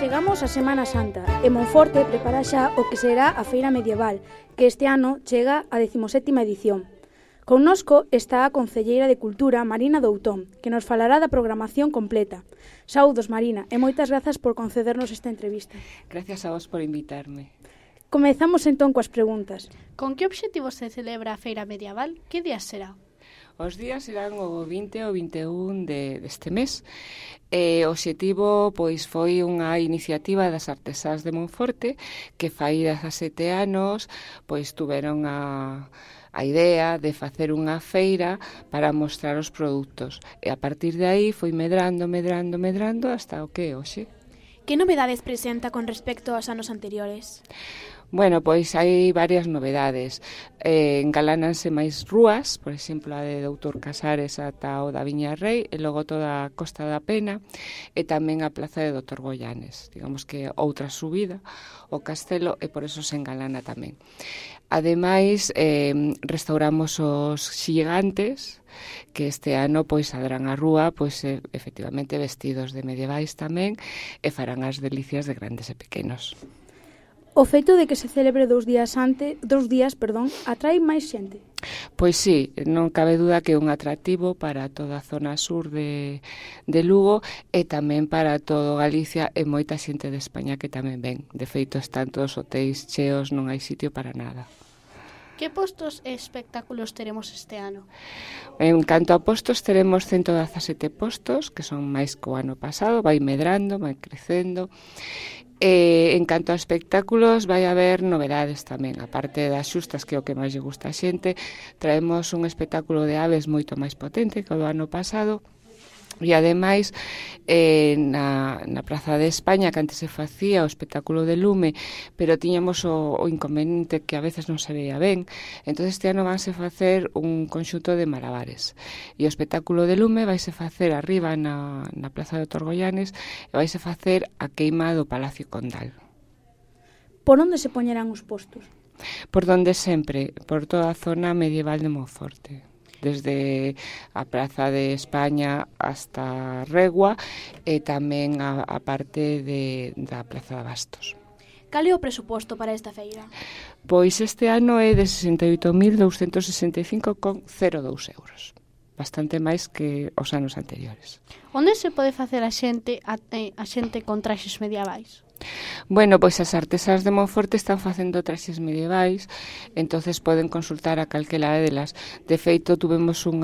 Chegamos a Semana Santa e Monforte prepara xa o que será a Feira Medieval, que este ano chega a 17ª edición. Connosco está a concelleira de Cultura, Marina Doutón, que nos falará da programación completa. Saúdos, Marina, e moitas grazas por concedernos esta entrevista. Gracias a vos por invitarme. Comezamos entón coas preguntas. Con que obxectivo se celebra a Feira Medieval? Que días será? Os días serán o 20 e o 21 deste mes. O obxectivo foi unha iniciativa das artesás de Monforte que fai 17 anos tuveron a idea de facer unha feira para mostrar os produtos. E a partir de aí foi medrando hasta o que é hoxe. Que novedades presenta con respecto aos anos anteriores? Bueno, pois hai varias novedades. Engalánanse máis rúas, por exemplo, a de Doutor Casares ata o da Viña Rei, e logo toda a Costa da Pena, e tamén a Plaza de Doutor Goyanes. Digamos que outra subida, o castelo, e por eso se engalana tamén. Ademais, restauramos os xigantes, que este ano saldrán á rúa, efectivamente vestidos de medievais tamén, e farán as delicias de grandes e pequenos. O feito de que se celebre 2 días atrae máis xente? Pois sí, non cabe duda que é un atractivo para toda a zona sur de Lugo e tamén para todo Galicia e moita xente de España que tamén ven. De feito, están todos os hotéis cheos, non hai sitio para nada. Que postos e espectáculos teremos este ano? En canto a postos, teremos 117 postos, que son máis que o ano pasado, vai medrando, vai crecendo. En canto a espectáculos, vai haber novedades tamén. A parte das xustas, que é o que máis lle gusta a xente, traemos un espectáculo de aves moito máis potente que o do ano pasado. E ademais, na Praza de España, que antes se facía o espectáculo de lume, pero tiñamos o inconveniente que a veces non se veía ben, entón este ano vanse facer un conxunto de malabares. E o espectáculo de lume vaise facer arriba na Plaza de Doutor Goyanes e vaise facer a queima do Palacio Condal. Por onde se poñerán os postos? Por donde sempre, por toda a zona medieval de Monforte. Desde a Praza de España hasta Regua e tamén a parte da Plaza de Bastos. Cal é o presuposto para esta feira? Pois este ano é de 68.265,02 euros. Bastante máis que os anos anteriores. Onde se pode facer a xente con traxes medievais? Bueno, pois as artesás de Monforte están facendo traxes medievais, entonces poden consultar a calquera delas. De feito, tuvemos un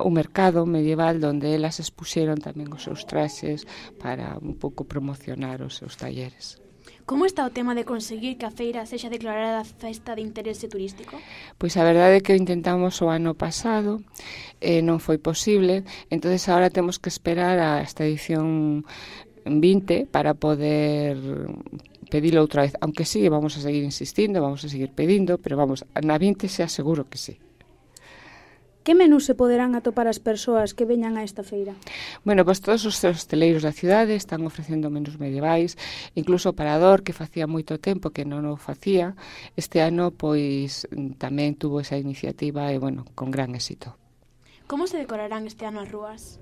mercado medieval onde elas expuxeron tamén os seus traxes para un pouco promocionar os seus talleres. Como está o tema de conseguir que a feira sexa declarada festa de interese turístico? Pois a verdade é que o intentamos o ano pasado, non foi posible, entonces agora temos que esperar a esta edición 20 para poder pedilo outra vez, aunque sí, vamos a seguir insistindo, vamos a seguir pedindo, pero vamos, na 20 xa seguro que sí. Que menús se poderán atopar as persoas que veñan a esta feira? Bueno, pois todos os hosteleiros da cidade están ofrecendo menús medievais, incluso o Parador, que facía moito tempo que non o facía, este ano tamén tuvo esa iniciativa e, con gran éxito. Como se decorarán este ano as rúas?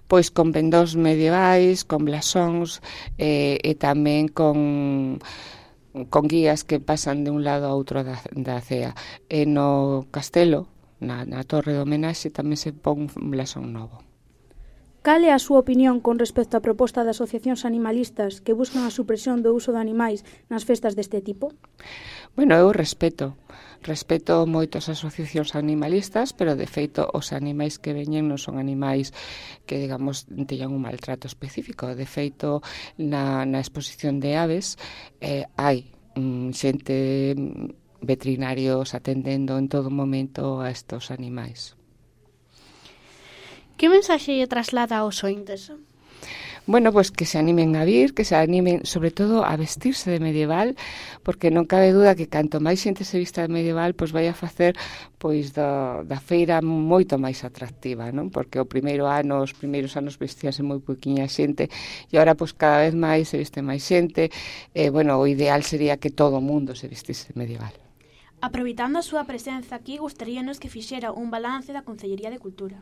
Pois con pendós medievais, con blasóns e tamén con guías que pasan de un lado a outro da cea. E no castelo, na torre de homenaxe, tamén se pon un blasón novo. Cal é a súa opinión con respecto á proposta de asociacións animalistas que buscan a supresión do uso de animais nas festas deste tipo? Bueno, eu respeto moito as asociacións animalistas, pero de feito os animais que veñen non son animais que, digamos, teñan un maltrato específico. De feito, na exposición de aves hai xente, veterinarios atendendo en todo momento a estos animais. Que mensaxe lle traslada aos ointes? Bueno, pois que se animen a vir, que se animen sobre todo a vestirse de medieval, porque non cabe duda que canto máis xente se vista de medieval, pois vai a facer da feira moito máis atractiva, non? Porque os primeiros anos vestíase moi poquinha xente e agora pois cada vez máis se viste máis xente. O ideal sería que todo o mundo se vestise de medieval. Aproveitando a súa presenza aquí, gustaríanos que fixera un balance da Concellería de Cultura.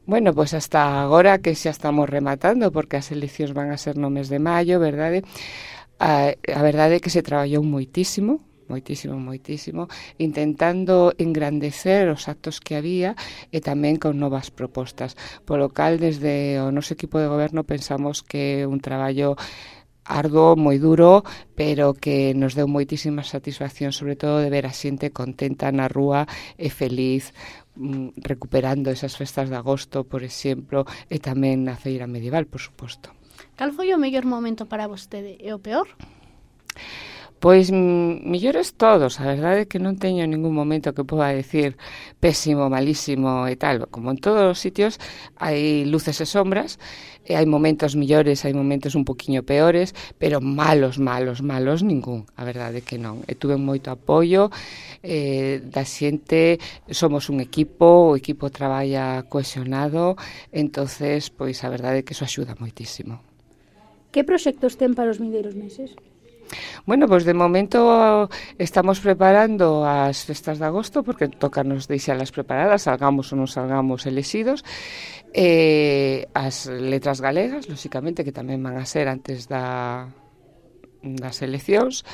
Bueno, pois hasta agora que xa estamos rematando, porque as eleccións van a ser no mes de maio, verdade? A verdade é que se traballou moitísimo, intentando engrandecer os actos que había e tamén con novas propostas. Polo cal, desde o noso equipo de goberno pensamos que é un traballo arduo, moi duro, pero que nos deu moitísima satisfacción, sobre todo de ver a xente contenta na rúa e feliz, recuperando esas festas de agosto, por exemplo, e tamén na feira medieval, por suposto. Cal foi o mellor momento para vostede e o peor? Pois mellores todos, a verdade é que non teño ningún momento que poda decir pésimo, malísimo e tal. Como en todos os sitios hai luces e sombras, e hai momentos mellores, hai momentos un poquinho peores, pero malos ningún, a verdade é que non. E tuve moito apoio da xente, somos un equipo, o equipo traballa cohesionado, entonces, pois a verdade é que iso axuda moitísimo. Que proxectos ten para os vindeiros meses? Bueno, pois de momento estamos preparando as festas de agosto, porque tocanos deixalas preparadas, salgamos ou non salgamos elexidos, as letras galegas, lóxicamente, que tamén van a ser antes das eleccións,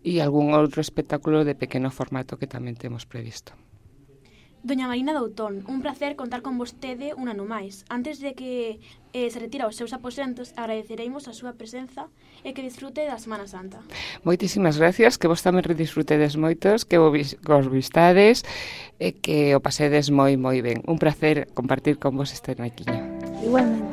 e algún outro espectáculo de pequeno formato que tamén temos previsto. Doña Marina Doutón, un placer contar con vostede un ano máis. Antes de que se retire aos seus aposentos, agradecereimos a súa presenza e que disfrute da Semana Santa. Moitísimas gracias, que vos tamén redisfrutedes moitos, que vos vistades e que o pasedes moi ben. Un placer compartir con vos este naquiño. Igualmente.